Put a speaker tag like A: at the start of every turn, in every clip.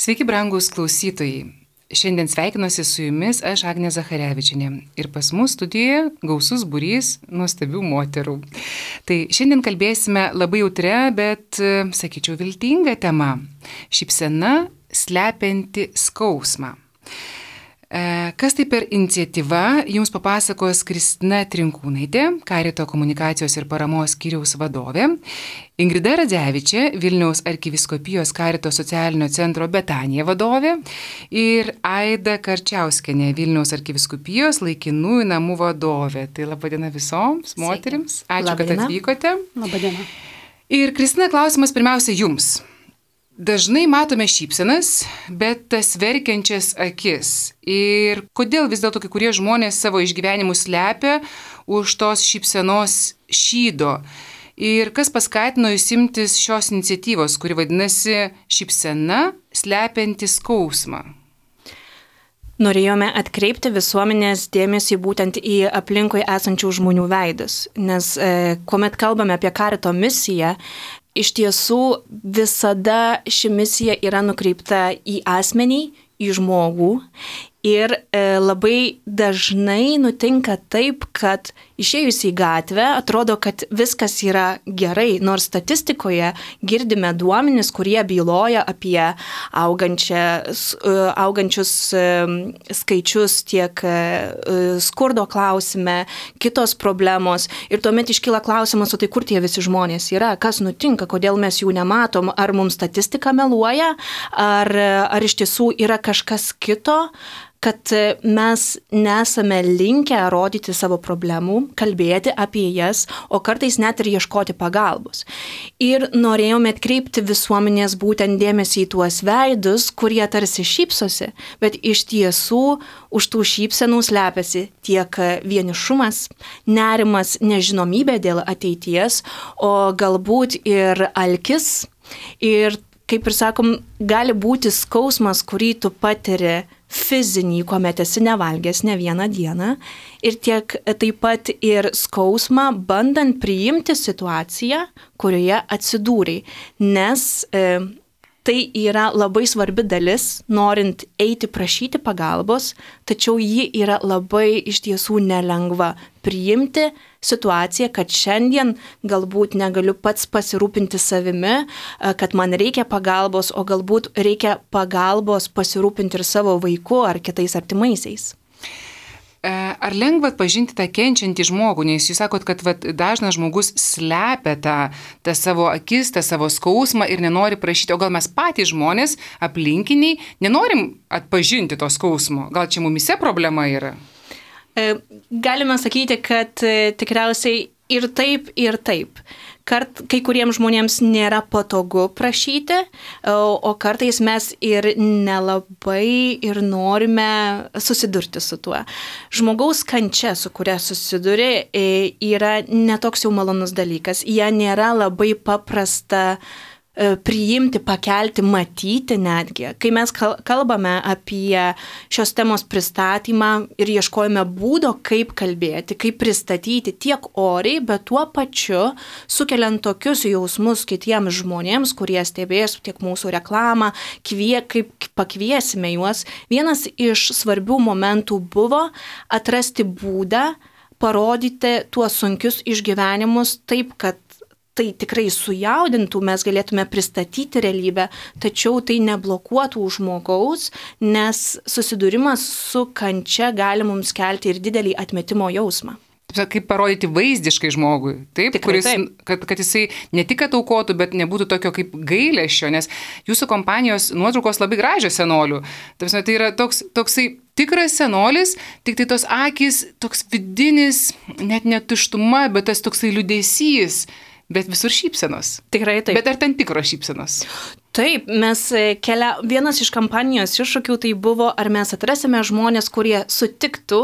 A: Sveiki, brangūs klausytojai. Šiandien sveikinuosi su jumis aš, Agnė Zacharevičienė. Ir pas mus studijoje gausus būrys nuostabių moterų. Tai šiandien kalbėsime labai jautrią, bet, sakyčiau, viltingą temą. Šypsena slepianti skausmą. Kas tai per iniciatyva, jums papasakos Kristina Trinkūnaitė, Karito komunikacijos ir paramos skyriaus vadovė, Ingrida Radzevičė, Vilniaus arkivyskupijos Karito socialinio centro Betanija vadovė ir Aida Karčiauskienė, Vilniaus arkivyskupijos laikinųjų namų vadovė. Tai laba diena visoms moterims. Ačiū, kad atvykote.
B: Labą dieną.
A: Ir Kristina, klausimas pirmiausia jums. Dažnai matome šypsenas, bet tas verkiančias akis. Ir kodėl vis dėlto kai kurie žmonės savo išgyvenimus slepia už tos šypsenos šydo? Ir kas paskatino jūs imtis šios iniciatyvos, kuri vadinasi šypsena slepianti skausmą?
B: Norėjome atkreipti visuomenės dėmesį būtent į aplinkui esančių žmonių veidus, nes kuomet kalbame apie Karito misiją, iš tiesų visada ši misija yra nukreipta į asmenį, į žmogų ir labai dažnai nutinka taip, kad išėjus į gatvę atrodo, kad viskas yra gerai, nors statistikoje girdime duomenis, kurie byloja apie augančius skaičius tiek skurdo klausime, kitos problemos. Ir tuomet iškyla klausimas, o tai kur tie visi žmonės yra, kas nutinka, kodėl mes jų nematom, ar mums statistika meluoja, ar iš tiesų yra kažkas kito, kad mes nesame linkę rodyti savo problemų, kalbėti apie jas, o kartais net ir ieškoti pagalbos. Ir norėjome atkreipti visuomenės būtent dėmesį į tuos veidus, kurie tarsi šypsosi, bet iš tiesų už tų šypsenų slepiasi tiek vienišumas, nerimas, nežinomybė dėl ateities, o galbūt ir alkis. Ir kaip ir sakom, gali būti skausmas, kurį tu patiri fizinį, kuomet esi nevalgęs ne vieną dieną, ir tiek taip pat ir skausmą, bandant priimti situaciją, kurioje atsidūrei, nes tai yra labai svarbi dalis, norint eiti prašyti pagalbos, tačiau ji yra labai iš tiesų nelengva priimti situaciją, kad šiandien galbūt negaliu pats pasirūpinti savimi, kad man reikia pagalbos, o galbūt reikia pagalbos pasirūpinti ir savo vaiku ar kitais artimaisiais.
A: Ar lengva atpažinti tą kenčiantį žmogų, nes jūs sakot, kad dažnas žmogus slepia tą savo akis, tą savo skausmą ir nenori prašyti, o gal mes patys žmonės, aplinkiniai, nenorim atpažinti to skausmo, gal čia mumise problema yra?
B: Galime sakyti, kad tikriausiai ir taip, ir taip. Kai kuriems žmonėms nėra patogu prašyti, o kartais mes ir nelabai ir norime susidurti su tuo. Žmogaus kančia, su kuria susiduri, yra netoks jau malonus dalykas. Ją nėra labai paprasta priimti, pakelti, matyti netgi. Kai mes kalbame apie šios temos pristatymą ir ieškojame būdo, kaip kalbėti, kaip pristatyti tiek oriai, bet tuo pačiu sukeliant tokius jausmus kitiems žmonėms, kurie stebės tiek mūsų reklamą, kaip pakviesime juos. Vienas iš svarbių momentų buvo atrasti būdą, parodyti tuos sunkius išgyvenimus taip, kad tai tikrai sujaudintų, mes galėtume pristatyti realybę, tačiau tai neblokuotų žmogaus, nes susidūrimas su kančia gali mums kelti ir didelį atmetimo jausmą.
A: Kaip parodyti vaizdiškai žmogui, taip?
B: Tikrai,
A: Kuris,
B: taip.
A: kad jisai ne tik ataukotų, bet nebūtų tokio kaip gailesčio, nes jūsų kompanijos nuotraukos labai gražios senolių. Tai yra toksai tikras senolis, tik tai tos akys, toks vidinis, net netuštuma, bet tas toksai liūdesys. Bet visur šypsenos.
B: Tikrai taip.
A: Bet ar ten tikros šypsenos?
B: Taip, vienas iš kampanijos iššūkių tai buvo, ar mes atrasime žmonės, kurie sutiktų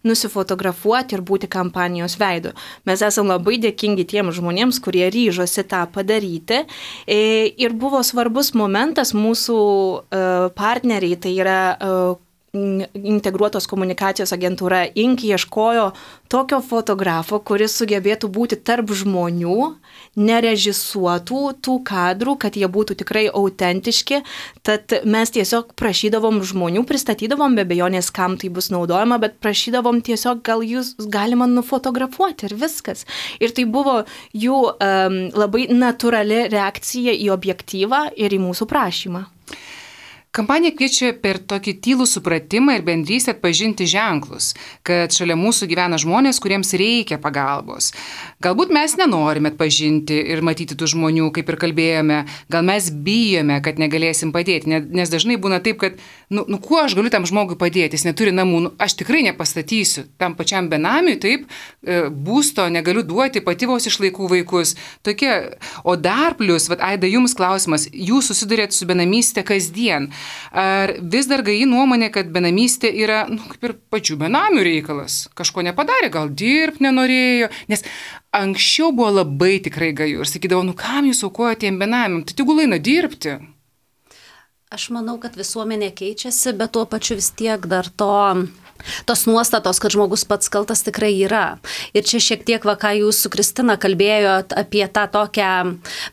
B: nusifotografuoti ir būti kampanijos veidu. Mes esame labai dėkingi tiems žmonėms, kurie ryžosi tą padaryti. Ir buvo svarbus momentas mūsų partneriai, tai yra integruotos komunikacijos agentūra INK ieškojo tokio fotografo, kuris sugebėtų būti tarp žmonių, nerežisuotų tų kadrų, kad jie būtų tikrai autentiški. Tad mes tiesiog prašydavom žmonių, pristatydavom be abejonės, kam tai bus naudojama, bet prašydavom tiesiog, gal jūs galima nufotografuoti ir viskas. Ir tai buvo jų labai natūrali reakcija į objektyvą ir į mūsų prašymą.
A: Kampanija kviečia per tokį tylų supratimą ir bendrystę atpažinti ženklus, kad šalia mūsų gyvena žmonės, kuriems reikia pagalbos. Galbūt mes nenorime atpažinti ir matyti tų žmonių, kaip ir kalbėjome, gal mes bijome, kad negalėsim padėti, nes dažnai būna taip, kad, kuo aš galiu tam žmogui padėti, jis neturi namų, aš tikrai nepastatysiu tam pačiam benamiui, taip, būsto negaliu duoti, pati vos išlaikau vaikus. Tokie, o dar plus, Aida, jums klausimas, jūs susidurėt su benamystė kasdien. Ar vis dar gaji nuomonė, kad benamystė yra, kaip ir pačių benamių reikalas? Kažko nepadarė, gal dirbti nenorėjo, nes anksčiau buvo labai tikrai gaju ir sakydavo, kam jūs aukojate tiem benamiam, tai tegul eina dirbti.
C: Aš manau, kad visuomenė keičiasi, bet tuo pačiu vis tiek dar tos nuostatos, kad žmogus pats kaltas tikrai yra. Ir čia šiek tiek, ką jūs su Kristina kalbėjot apie tą tokią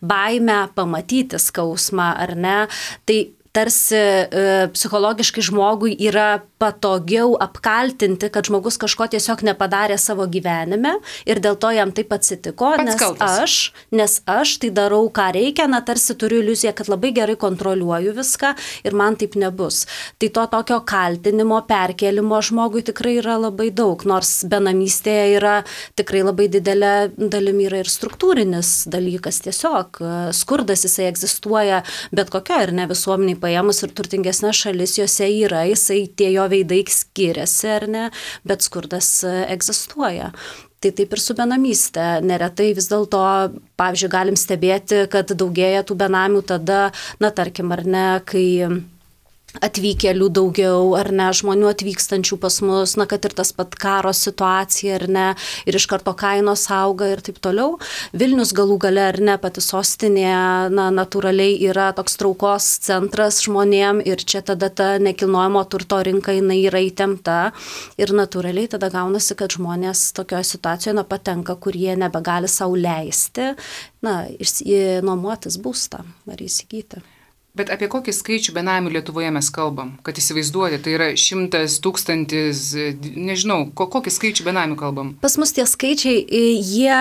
C: baimę pamatyti skausmą, ar ne, tai tarsi psichologiškai žmogui yra patogiau apkaltinti, kad žmogus kažko tiesiog nepadarė savo gyvenime ir dėl to jam taip atsitiko, nes aš tai darau, ką reikia, tarsi turiu iliuziją, kad labai gerai kontroliuoju viską ir man taip nebus. Tai to tokio kaltinimo, perkelimo žmogui tikrai yra labai daug, nors benamystėje yra tikrai labai didelė dalimi yra ir struktūrinis dalykas tiesiog. Skurdas jisai egzistuoja bet kokio ir ne visuomeniai paėmus ir turtingesnės šalis, jose yra, jisai tie jo veidai skiriasi, ar ne, bet skurdas egzistuoja. Tai taip ir su benamystė. Neretai vis dėlto, pavyzdžiui, galim stebėti, kad daugėja tų benamių tada, tarkim, ar ne, kai atvykėlių daugiau, ar ne, žmonių atvykstančių pas mus, kad ir tas pat karo situacija, ar ne, ir iš karto kainos auga ir taip toliau. Vilnius galų gale, ar ne, pati sostinė, natūraliai yra toks traukos centras žmonėm ir čia tada ta nekilnojamo turto rinka jinai yra įtempta ir natūraliai tada gaunasi, kad žmonės tokioje situacijoje patenka, kur jie nebegali sau leisti, nuomotis būstą ar įsigyti.
A: Bet apie kokį skaičių benamių Lietuvoje mes kalbam, kad įsivaizduoti, tai yra 100, 1000, nežinau, kokį skaičių benamių kalbam?
C: Pas mus tie skaičiai, jie,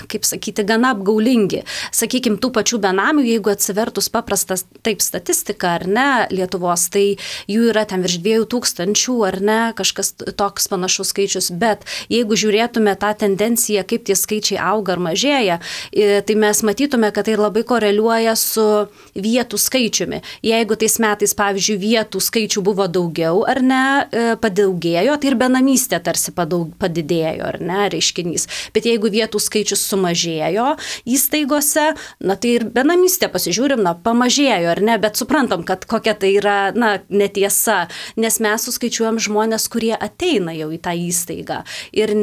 C: kaip sakyti, gana apgaulingi. Sakykime, tų pačių benamių, jeigu atsivertus paprastas taip statistika, ar ne, Lietuvos, tai jų yra ten virš 2000, ar ne, kažkas toks panašus skaičius, bet jeigu žiūrėtume tą tendenciją, kaip tie skaičiai auga ar mažėja, tai mes matytume, kad tai labai koreliuoja su vietų skaičiumi. Jeigu tais metais, pavyzdžiui, vietų skaičių buvo daugiau ar ne, padaugėjo, tai ir benamystė tarsi padidėjo, ar ne, reiškinys. Bet jeigu vietų skaičius sumažėjo įstaigose, tai ir benamystė pasižiūrim, pamažėjo, ar ne, bet suprantam, kad kokia tai yra, netiesa, nes mes suskaičiuojam žmonės, kurie ateina jau į tą įstaigą ir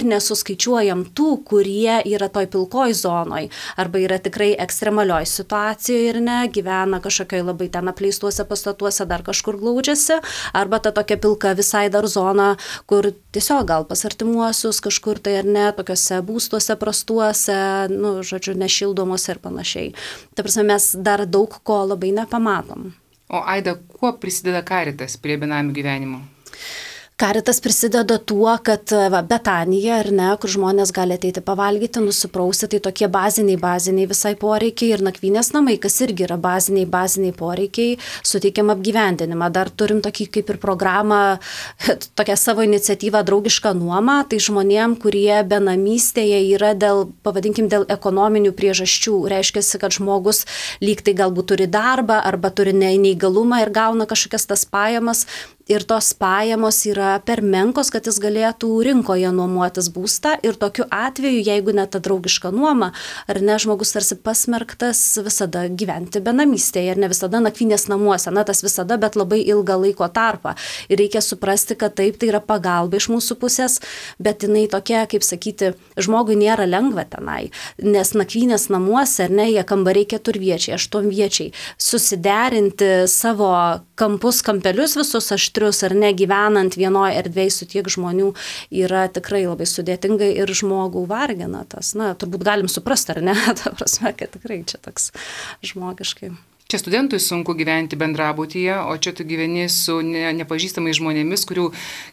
C: nesuskaičiuojam tų, kurie yra toj pilkoj zonoj arba yra tikrai ekstremalioj situacijoje ir ne, gyvena kažkokioj labai ten apleistuose pastatuose, dar kažkur glaudžiasi, arba ta tokia pilka visai dar zona, kur tiesiog gal pas artimuosius kažkur tai ar ne, tokiuose būstuose prastuose, nešildomuose ir panašiai. Ta prasme, mes dar daug ko labai nepamatom.
A: O Aida, kuo prisideda Caritas prie benamių gyvenimo?
C: Caritas prisideda tuo, kad Betanija, ar ne, kur žmonės gali ateiti pavalgyti, nusiprausti, tai tokie baziniai visai poreikiai ir nakvynės namai, kas irgi yra baziniai poreikiai, suteikiam apgyvendinimą. Dar turim tokį kaip ir programą, tokią savo iniciatyvą draugišką nuomą, tai žmonėm, kurie benamystėje yra dėl ekonominių priežasčių. Reiškia, kad žmogus lyg tai galbūt turi darbą arba turi neįgalumą ir gauna kažkokias tas pajamas. Ir tos pajamos yra per menkos, kad jis galėtų rinkoje nuomotis būstą ir tokiu atveju, jeigu net ta draugiška nuoma, ar ne, žmogus tarsi pasmerktas visada gyventi benamystėje ir ne visada nakvynės namuose, tas visada, bet labai ilgą laiko tarpą. Ir reikia suprasti, kad taip, tai yra pagalba iš mūsų pusės, bet jinai tokia, kaip sakyti, žmogui nėra lengva tenai, nes nakvynės namuose, ar ne, jie kambariai 4viečiai, 8viečiai, susiderinti savo kampelius visus, aš aštrius ar ne, gyvenant vienoje erdvėje su tiek žmonių yra tikrai labai sudėtingai ir žmogų vargina tas. Na, turbūt galim suprasti, ar ne, ta prasme, kad tikrai čia toks žmogiškai.
A: Čia studentui sunku gyventi bendrabutyje, o čia tu gyveni su nepažįstamais žmonėmis, kurių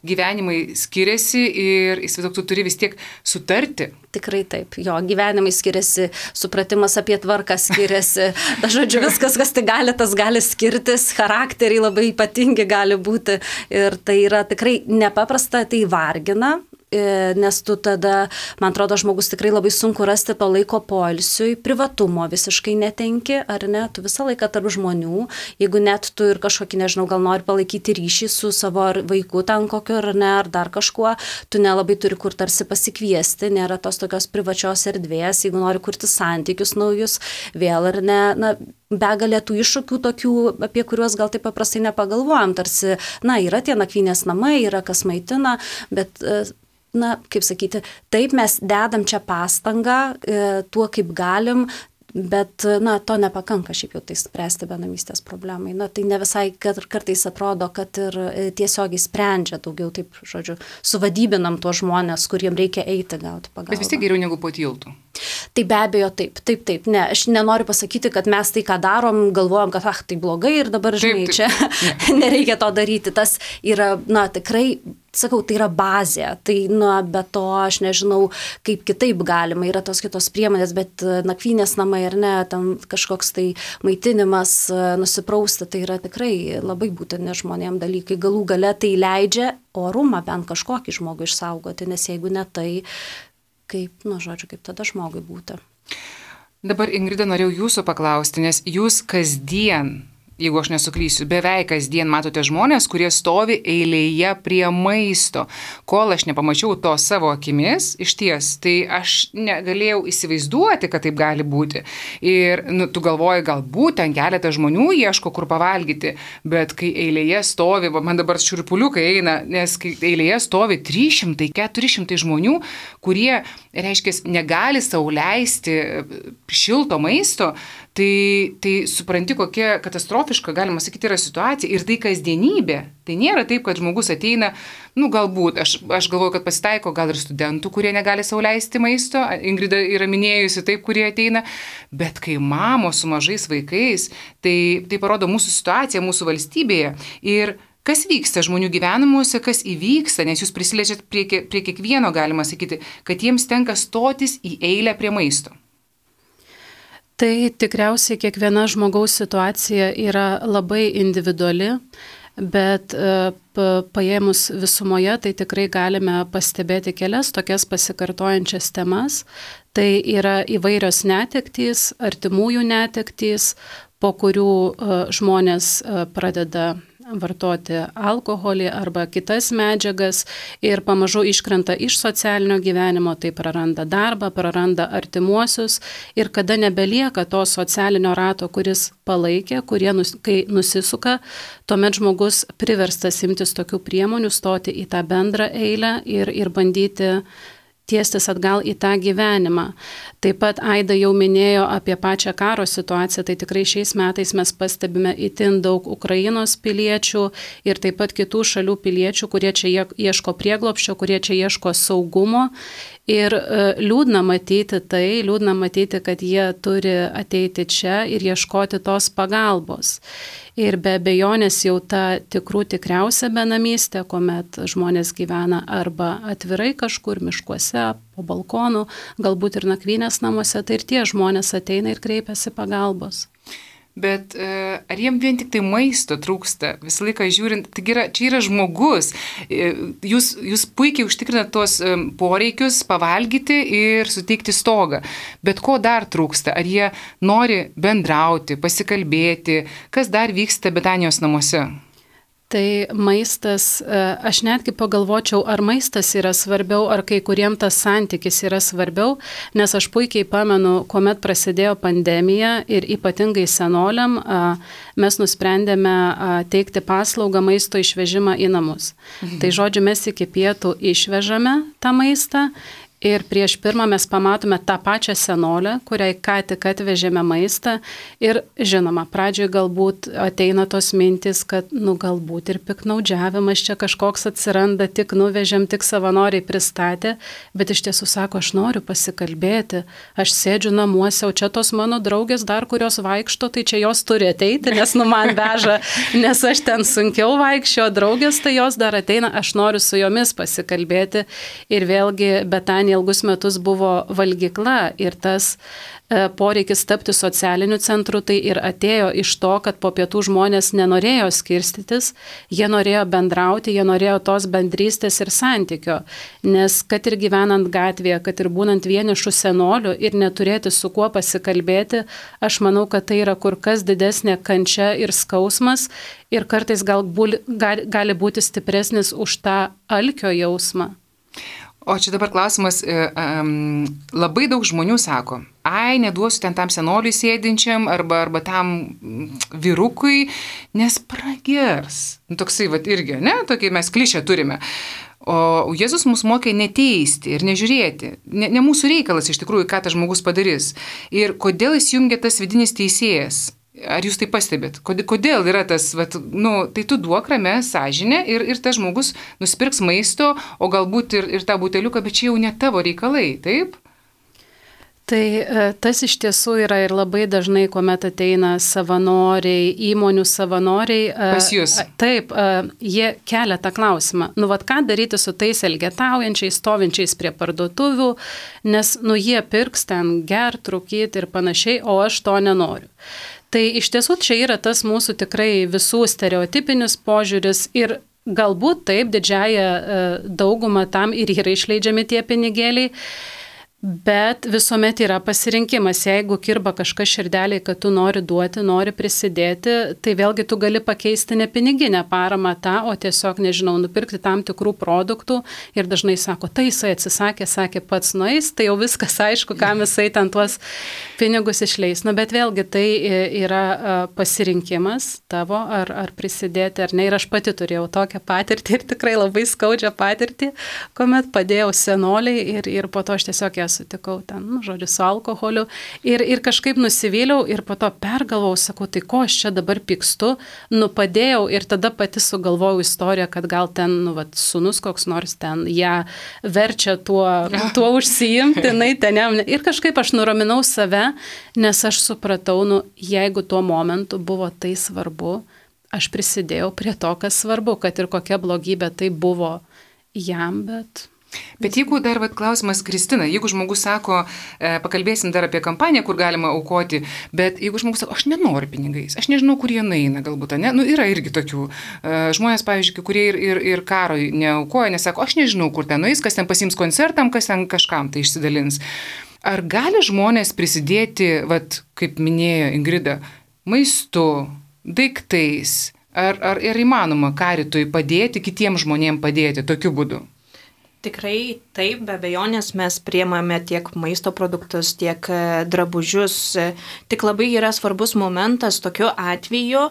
A: gyvenimai skiriasi ir įsivaizduok, tu turi vis tiek sutarti.
C: Tikrai taip, jo gyvenimai skiriasi, supratimas apie tvarką skiriasi, žodžiu, viskas, kas tai gali, tas gali skirtis, charakteriai labai ypatingi gali būti ir tai yra tikrai nepaprasta, tai vargina. Nes tu tada, man atrodo, žmogus tikrai labai sunku rasti to laiko poilsiui, privatumo visiškai netenki, ar ne, tu visą laiką tarp žmonių, jeigu net tu ir kažkokį, nežinau, gal nori palaikyti ryšį su savo vaiku ten kokiu, ar ne, ar dar kažkuo, tu nelabai turi kur tarsi pasikviesti, nėra tos tokios privačios erdvės, jeigu nori kurti santykius naujus, vėl ar ne, na, begalė tų iššūkių tokių, apie kuriuos gal taip paprastai nepagalvojam, tarsi, na, yra tie nakvynės namai, yra kas maitina, bet na, kaip sakyti, taip mes dedam čia pastangą, tuo kaip galim, bet, na, to nepakanka šiaip jau tai spręsti benamystės problemai. Na, tai ne visai kartais atrodo, kad ir tiesiogiai sprendžia daugiau, taip, žodžiu, suvadybinam tuos žmonės, kuriem reikia eiti gauti pagalbą.
A: Bet vis tiek geriau negu po tiltu.
C: Tai be abejo taip, ne, aš nenoriu pasakyti, kad mes tai, ką darom, galvojam, kad tai blogai ir dabar, žinai, čia nereikia to daryti. Tas yra, na, tikrai, sakau, tai yra bazė, tai, na, be to aš nežinau, kaip kitaip galima, yra tos kitos priemonės, bet nakvynės namai ar ne, ten kažkoks tai maitinimas, nusiprausti, tai yra tikrai labai būtini žmonėm dalykai. Galų gale tai leidžia orumą bent kažkokį žmogų išsaugoti, nes jeigu ne tai, kaip, nu, žodžiu, kaip tada žmogui būti.
A: Dabar, Ingrida, norėjau jūsų paklausti, nes jūs kasdien, jeigu aš nesuklysiu, beveik kasdien matote žmonės, kurie stovi eilėje prie maisto. Kol aš nepamačiau to savo akimis, iš ties, tai aš negalėjau įsivaizduoti, kad taip gali būti. Ir nu, tu galvoji, galbūt ten keletą žmonių ieško, kur pavalgyti, bet kai eilėje stovi, man dabar šiurpuliukai eina, nes kai eilėje stovi 300-400 žmonių, kurie, reiškia, negali sau leisti šilto maisto, tai supranti, kokia katastrofiška, galima sakyti, yra situacija ir tai kasdienybė. Tai nėra taip, kad žmogus ateina, nu galbūt, aš galvoju, kad pasitaiko gal ir studentų, kurie negali sau leisti maisto, Ingrida yra minėjusi taip, kurie ateina, bet kai mamos su mažais vaikais, tai parodo mūsų situaciją, mūsų valstybėje ir kas vyksta žmonių gyvenimuose, kas įvyksta, nes jūs prisiliečiat prie kiekvieno, galima sakyti, kad jiems tenka stotis į eilę prie maisto.
D: Tai tikriausiai kiekviena žmogaus situacija yra labai individuali, bet paėmus visumoje, tai tikrai galime pastebėti kelias tokias pasikartojančias temas. Tai yra įvairios netektys, artimųjų netektys, po kurių žmonės pradeda vartoti alkoholį arba kitas medžiagas ir pamažu iškrenta iš socialinio gyvenimo, tai praranda darbą, praranda artimuosius ir kada nebelieka to socialinio rato, kuris palaikė, kai nusisuka, tuomet žmogus priverstas imtis tokių priemonių, stoti į tą bendrą eilę ir bandyti tiestis atgal į tą gyvenimą. Taip pat Aida jau minėjo apie pačią karo situaciją, tai tikrai šiais metais mes pastebime itin daug Ukrainos piliečių ir taip pat kitų šalių piliečių, kurie čia ieško prieglobsčio, kurie čia ieško saugumo. Ir liūdna matyti, kad jie turi ateiti čia ir ieškoti tos pagalbos. Ir be abejonės jau ta tikriausia benamystė, kuomet žmonės gyvena arba atvirai kažkur miškuose, po balkonų, galbūt ir nakvynės namuose, tai ir tie žmonės ateina ir kreipiasi pagalbos.
A: Bet ar jiem vien tik tai maisto trūksta? Visą laiką žiūrint, čia yra žmogus. Jūs puikiai užtikrinat tuos poreikius pavalgyti ir suteikti stogą. Bet ko dar trūksta? Ar jie nori bendrauti, pasikalbėti? Kas dar vyksta Betanijos namuose?
D: Tai maistas, aš netgi pagalvočiau, ar maistas yra svarbiau, ar kai kuriem tas santykis yra svarbiau, nes aš puikiai pamenu, kuomet prasidėjo pandemija ir ypatingai senoliam, mes nusprendėme teikti paslaugą maisto išvežimą į namus. Tai žodžiu, mes iki pietų išvežame tą maistą Ir prieš pirmą mes pamatome tą pačią senolę, kuriai ką tik atvežėme maistą. Ir žinoma, pradžioje galbūt ateina tos mintis, kad galbūt ir piknaudžiavimas čia kažkoks atsiranda, tik nuvežėm, tik savanoriai pristatė, bet iš tiesų sako, aš noriu pasikalbėti, aš sėdžiu namuose, o čia tos mano draugės dar, kurios vaikšto, tai čia jos turi ateiti, nes man veža, nes aš ten sunkiau vaikščio, draugės tai jos dar ateina, aš noriu su jomis pasikalbėti. Ir vėlgi Betanija ilgus metus buvo valgykla ir tas poreikis tapti socialiniu centru tai ir atėjo iš to, kad po pietų žmonės nenorėjo skirstytis, jie norėjo bendrauti, jie norėjo tos bendrystės ir santykio, nes kad ir gyvenant gatvėje, kad ir būnant vienišų senolių ir neturėti su kuo pasikalbėti, aš manau, kad tai yra kur kas didesnė kančia ir skausmas ir kartais gali būti stipresnis už tą alkio jausmą.
A: O čia dabar klausimas, labai daug žmonių sako, neduosiu ten tam senoliui sėdinčiam arba tam vyrukui, nes pragers. Toksai irgi, ne, tokie mes klišę turime. O Jėzus mus mokė neteisti ir nežiūrėti. Ne mūsų reikalas iš tikrųjų, ką tas žmogus padarys. Ir kodėl įsijungia tas vidinis teisėjas? Ar jūs tai pastebėt? Kodėl yra tas, tai tu duok ramę sąžinę ir tas žmogus nusipirks maisto, o galbūt ir tą buteliuką, bet čia jau ne tavo reikalai, taip?
D: Tai tas iš tiesų yra ir labai dažnai, kuomet ateina savanoriai, įmonių savanoriai.
A: Pas jūs.
D: Taip, jie kelia tą klausimą. Ką daryti su tais elgetaujančiais, stovinčiais prie parduotuvių, nes jie pirks ten gert, rūkyti ir panašiai, o aš to nenoriu. Tai iš tiesų čia yra tas mūsų tikrai visų stereotipinis požiūris ir galbūt taip didžiąją daugumą tam ir yra išleidžiami tie pinigėliai, bet visuomet yra pasirinkimas. Jeigu kirba kažkas širdeliai, kad tu nori duoti, nori prisidėti, tai vėlgi tu gali pakeisti ne piniginę paramą tą, o tiesiog, nupirkti tam tikrų produktų ir dažnai sako, tai jisai atsisakė, sakė pats nueis, tai jau viskas aišku, kam jisai ten tuos pinigus išleis. Bet vėlgi tai yra pasirinkimas tavo, ar prisidėti ar ne. Ir aš pati turėjau tokią patirtį ir tikrai labai skaudžią patirtį, kuomet padėjau senoliai ir po to aš tiesiog ją sutikau ten, su alkoholiu ir kažkaip nusivyliau ir po to pergalvojau, sakau, tai ko aš čia dabar pykstu, padėjau ir tada pati sugalvojau istoriją, kad gal ten, sūnus koks nors ten ją verčia tuo užsiimti, ir kažkaip aš nuraminau save, nes aš supratau, jeigu tuo momentu buvo tai svarbu, aš prisidėjau prie to, kas svarbu, kad ir kokia blogybė tai buvo jam,
A: Bet jeigu dar klausimas, Kristina, jeigu žmogus sako, pakalbėsim dar apie kampaniją, kur galima aukoti, bet jeigu žmogus sako, aš nenoriu pinigais, aš nežinau, kur jie nueina galbūt, ne? Yra irgi tokių žmonės, pavyzdžiui, kurie ir karo neaukoja, nesako, aš nežinau, kur ten nueis, kas ten pasiims koncertam, kas ten kažkam tai išsidalins. Ar gali žmonės prisidėti, kaip minėjo Ingrida, maistu, daiktais, ar įmanoma karitui padėti, kitiems žmonėms padėti tokiu būdu?
B: Tikrai taip, be abejonės mes priemame tiek maisto produktus, tiek drabužius. Tik labai yra svarbus momentas tokiu atveju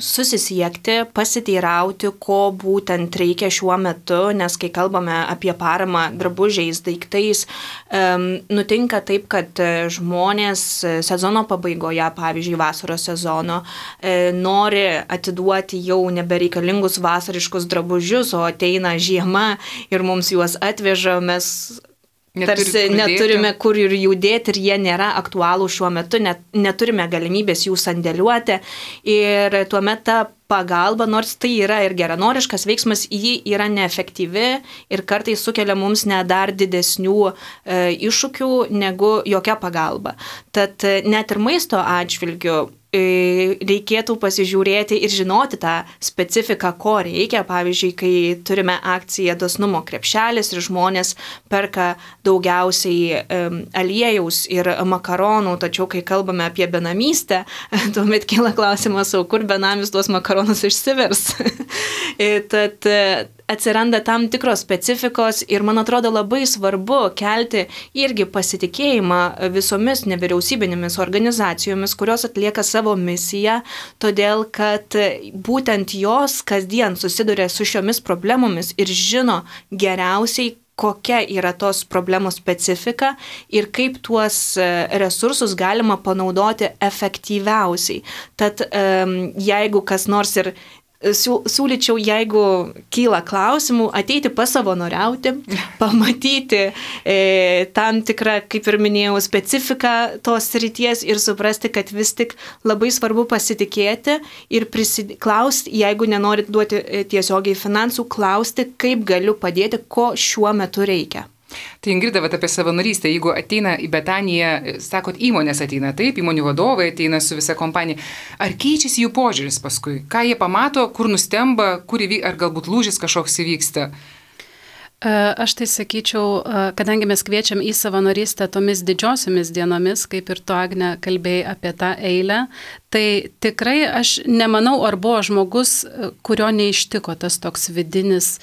B: susisiekti, pasiteirauti, ko būtent reikia šiuo metu, nes kai kalbame apie paramą drabužiais, daiktais, nutinka taip, kad žmonės sezono pabaigoje, pavyzdžiui, vasaros sezono, nori atiduoti jau nebereikalingus vasariškus drabužius, o ateina žiema ir mums juos atveža, mes tarsi neturime kur ir jų dėti ir jie nėra aktualūs šiuo metu, neturime galimybės jų sandėliuoti ir tuomet ta pagalba, nors tai yra ir geranoriškas veiksmas, ji yra neefektyvi ir kartais sukelia mums dar didesnių iššūkių negu jokia pagalba. Tad net ir maisto atžvilgiu reikėtų pasižiūrėti ir žinoti tą specifiką, ko reikia. Pavyzdžiui, kai turime akciją dosnumo krepšelis ir žmonės perka daugiausiai aliejaus ir makaronų, tačiau kai kalbame apie benamystę, tuomet kyla klausimas, kur benamis tuos makaronus išsivers. Tad atsiranda tam tikros specifikos ir man atrodo labai svarbu kelti irgi pasitikėjimą visomis nevyriausybinėmis organizacijomis, kurios atlieka savo misiją, todėl kad būtent jos kasdien susiduria su šiomis problemomis ir žino geriausiai, kokia yra tos problemos specifika ir kaip tuos resursus galima panaudoti efektyviausiai. Tad jeigu kas nors ir siūlyčiau, jeigu kyla klausimų, ateiti pasavanoriauti, pamatyti tam tikrą, kaip ir minėjau, specifiką tos srities ir suprasti, kad vis tik labai svarbu pasitikėti ir klausti, jeigu nenorit duoti tiesiogiai finansų, klausti, kaip galiu padėti, ko šiuo metu reikia.
A: Tai Ingrida, apie savanorystę, jeigu ateina į Betaniją, sakot, įmonės ateina, taip, įmonių vadovai ateina su visa kompanija, ar keičiasi jų požiūris paskui? Ką jie pamato, kur nustemba, ar galbūt lūžis kažkoks įvyksta?
D: Aš tai sakyčiau, kadangi mes kviečiam į savanorystę tomis didžiosiomis dienomis, kaip ir tu, Agne, kalbėjai apie tą eilę, tai tikrai aš nemanau, ar buvo žmogus, kurio neištiko tas toks vidinis,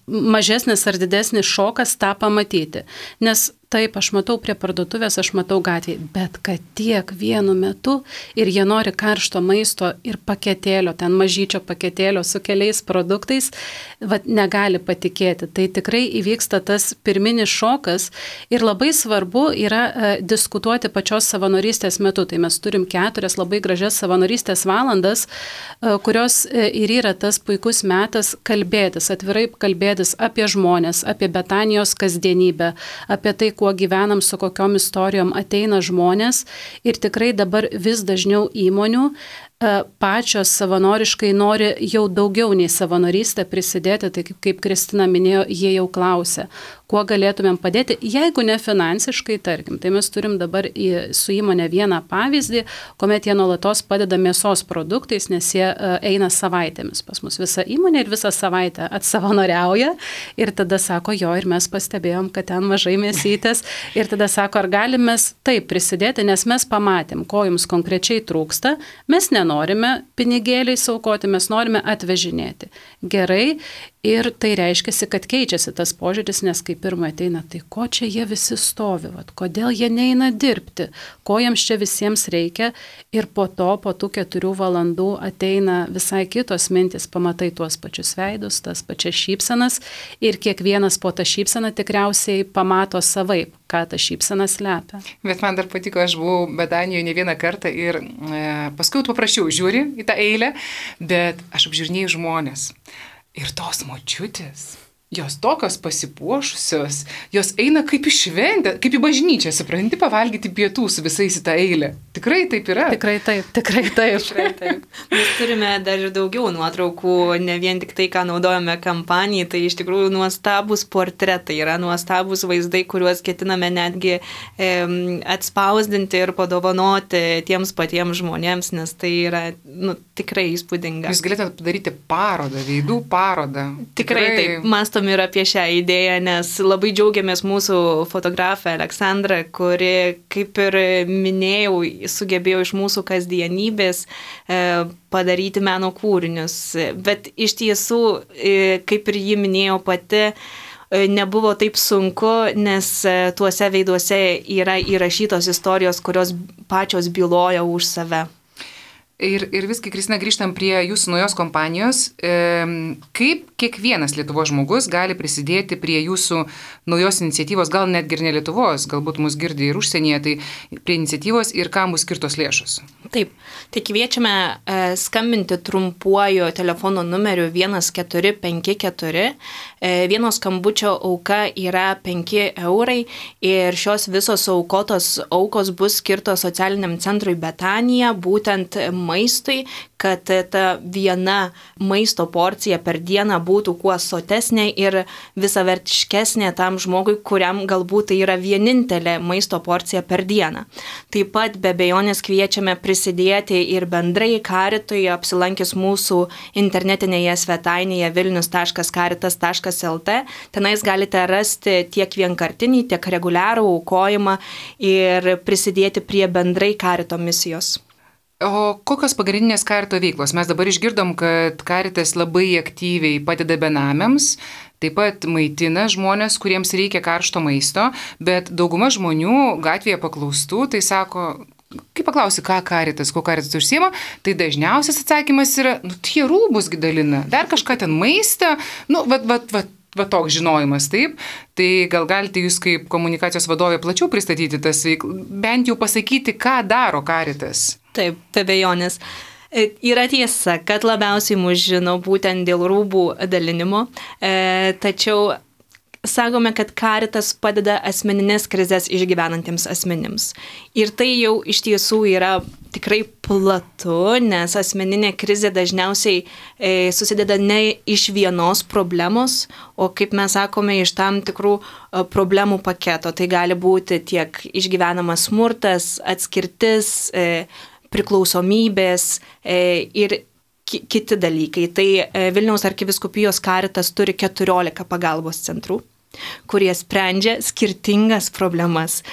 D: mažesnis ar didesnis šokas tą pamatyti. Nes taip, aš matau prie parduotuvės, aš matau gatvėje, bet kad tiek vienu metu ir jie nori karšto maisto ir paketėlio, ten mažyčio paketėlio su keliais produktais, negali patikėti. Tai tikrai įvyksta tas pirminis šokas ir labai svarbu yra diskutuoti pačios savanorystės metu. Tai mes turim 4 labai gražias savanorystės valandas, kurios ir yra tas puikus metas kalbėtis, atvirai kalbėtis apie žmonės, apie Betanijos kasdienybę, apie tai, kuo gyvenam, su kokiom istorijom ateina žmonės ir tikrai dabar vis dažniau įmonių pačios savanoriškai nori jau daugiau nei savanorystę prisidėti, tai kaip Kristina minėjo, jie jau klausia, kuo galėtumėm padėti, jeigu ne finansiškai, tarkim. Tai mes turim dabar su įmonė vieną pavyzdį, kuomet jie nuolatos padeda mėsos produktais, nes jie eina savaitėmis pas mus. Visa įmonė ir visą savaitę atsavanoriauja ir tada sako, jo, ir mes pastebėjom, kad ten mažai mėsytės ir tada sako, ar galim mes taip prisidėti, nes mes pamatėm, ko jums konkrečiai trūksta, mes nenorime pinigėliai saukoti, mes norime atvežinėti. Gerai. Ir tai reiškia, kad keičiasi tas požiūris, nes kai pirmą ateina, tai ko čia jie visi stovi, kodėl jie neina dirbti, ko jiems čia visiems reikia ir po tų 4 valandų ateina visai kitos mintis, pamatai tuos pačius veidus, tas pačias šypsenas ir kiekvienas po tą šypseną tikriausiai pamato savaip, ką ta šypsena slepia.
A: Bet man dar patiko, aš buvau Betanijoje ne vieną kartą ir paskui paprašiau, žiūri į tą eilę, bet aš apžiūrinėjau žmonės. Ir tos močiutės, jos tokios pasipuošusios, jos eina kaip į šventę, kaip į bažnyčią, supranti, pavalgyti pietų su visais į tą eilę. Tikrai taip yra?
D: Tikrai taip.
B: Mes turime dar ir daugiau nuotraukų, ne vien tik tai, ką naudojame kampanijai, tai iš tikrųjų nuostabus portretai, yra nuostabus vaizdai, kuriuos ketiname netgi atspausdinti ir padovanoti tiems patiems žmonėms, nes tai yra tikrai įspūdinga.
A: Jūs galėtumėte padaryti parodą, veidų parodą.
B: Tikrai taip, mąstom ir apie šią idėją, nes labai džiaugiamės mūsų fotografę Aleksandrą, kuri, kaip ir minėjau, sugebėjo iš mūsų kasdienybės padaryti meno kūrinius. Bet iš tiesų, kaip ir ji minėjo pati, nebuvo taip sunku, nes tuose veiduose yra įrašytos istorijos, kurios pačios byloja už save.
A: Ir viskai, Kristina, grįžtam prie jūsų naujos kompanijos. Kaip kiekvienas Lietuvos žmogus gali prisidėti prie jūsų naujos iniciatyvos, gal netgi ir ne Lietuvos, galbūt mus girdi ir užsienyje, tai prie iniciatyvos ir kam bus skirtos lėšos?
B: Taip, tai kviečiame skambinti trumpuoju telefono numeriu 1454. Vieno skambučio auka yra 5 eurai ir šios visos aukos bus skirtos socialiniam centrui Betanija, būtent maistui, kad ta viena maisto porcija per dieną būtų kuo sotesnė ir visavertiškesnė tam žmogui, kuriam galbūt tai yra vienintelė maisto porcija per dieną. Taip pat be abejonės kviečiame prisidėti ir bendrai Karitui, apsilankęs mūsų internetinėje svetainėje vilnius.karitas.lt. Tenais galite rasti tiek vienkartinį, tiek reguliarų aukojimą ir prisidėti prie bendrai Karito misijos.
A: O kokios pagrindinės Karito veiklos? Mes dabar išgirdom, kad Karitas labai aktyviai padeda benamiams, taip pat maitina žmonės, kuriems reikia karšto maisto, bet dauguma žmonių gatvėje paklaustų, tai sako, kai paklausi, kuo Karitas užsiema, tai dažniausias atsakymas yra, tie rūbus dalina, dar kažką ten maistą, va toks žinojimas, taip, tai gal galite jūs kaip komunikacijos vadovė plačiau pristatyti tas bent jau pasakyti, ką daro Caritas.
B: Taip, be abejonės. Yra tiesa, kad labiausiai mus žino būtent dėl rūbų dalinimo, tačiau sakome, kad Caritas padeda asmeninės krizės išgyvenantiems asmenims. Ir tai jau iš tiesų yra tikrai platu, nes asmeninė krizė dažniausiai susideda ne iš vienos problemos, o kaip mes sakome, iš tam tikrų problemų paketo. Tai gali būti tiek išgyvenamas smurtas, atskirtis, priklausomybės ir kiti dalykai. Tai Vilniaus arkivyskupijos Caritas turi 14 pagalbos centrų, kurie sprendžia skirtingas problemas.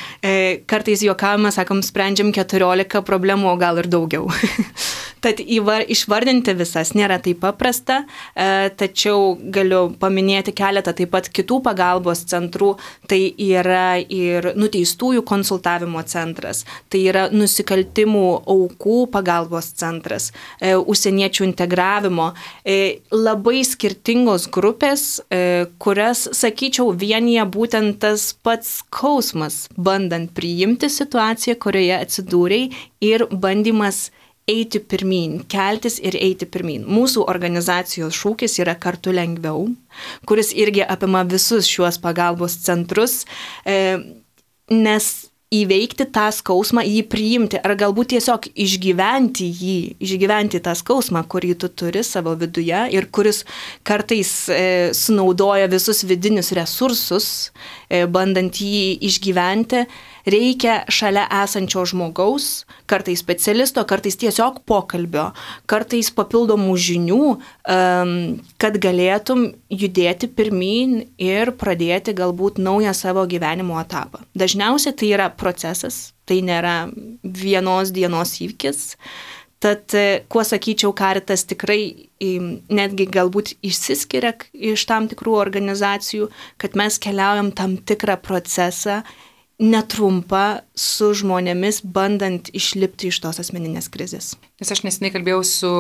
B: Kartais juokavome, sakom, sprendžiam 14 problemų, o gal ir daugiau. Tad išvardinti visas nėra taip paprasta, tačiau galiu paminėti keletą taip pat kitų pagalbos centrų. Tai yra ir nuteistųjų konsultavimo centras, tai yra nusikaltimų aukų pagalbos centras, užsieniečių integravimo. Labai skirtingos grupės, kurias, sakyčiau, vienyje būtent tas pats skausmas, bandant priimti situaciją, kurioje atsidūrei ir bandymas eiti pirmyn, keltis ir eiti pirmyn. Mūsų organizacijos šūkis yra kartu lengviau, kuris irgi apima visus šiuos pagalbos centrus, nes įveikti tą skausmą, jį priimti ar galbūt tiesiog išgyventi tą skausmą, kurį tu turi savo viduje ir kuris kartais sunaudoja visus vidinius resursus, bandant jį išgyventi, reikia šalia esančio žmogaus, kartais specialisto, kartais tiesiog pokalbio, kartais papildomų žinių, kad galėtum judėti pirmyn ir pradėti galbūt naują savo gyvenimo etapą. Dažniausiai tai yra procesas, tai nėra vienos dienos įvykis. Tad, kuo sakyčiau, Caritas tikrai netgi galbūt išsiskiria iš tam tikrų organizacijų, kad mes keliaujam tam tikrą procesą, netrumpą su žmonėmis, bandant išlipti iš tos asmeninės krizės.
A: Nes aš neseniai kalbėjau su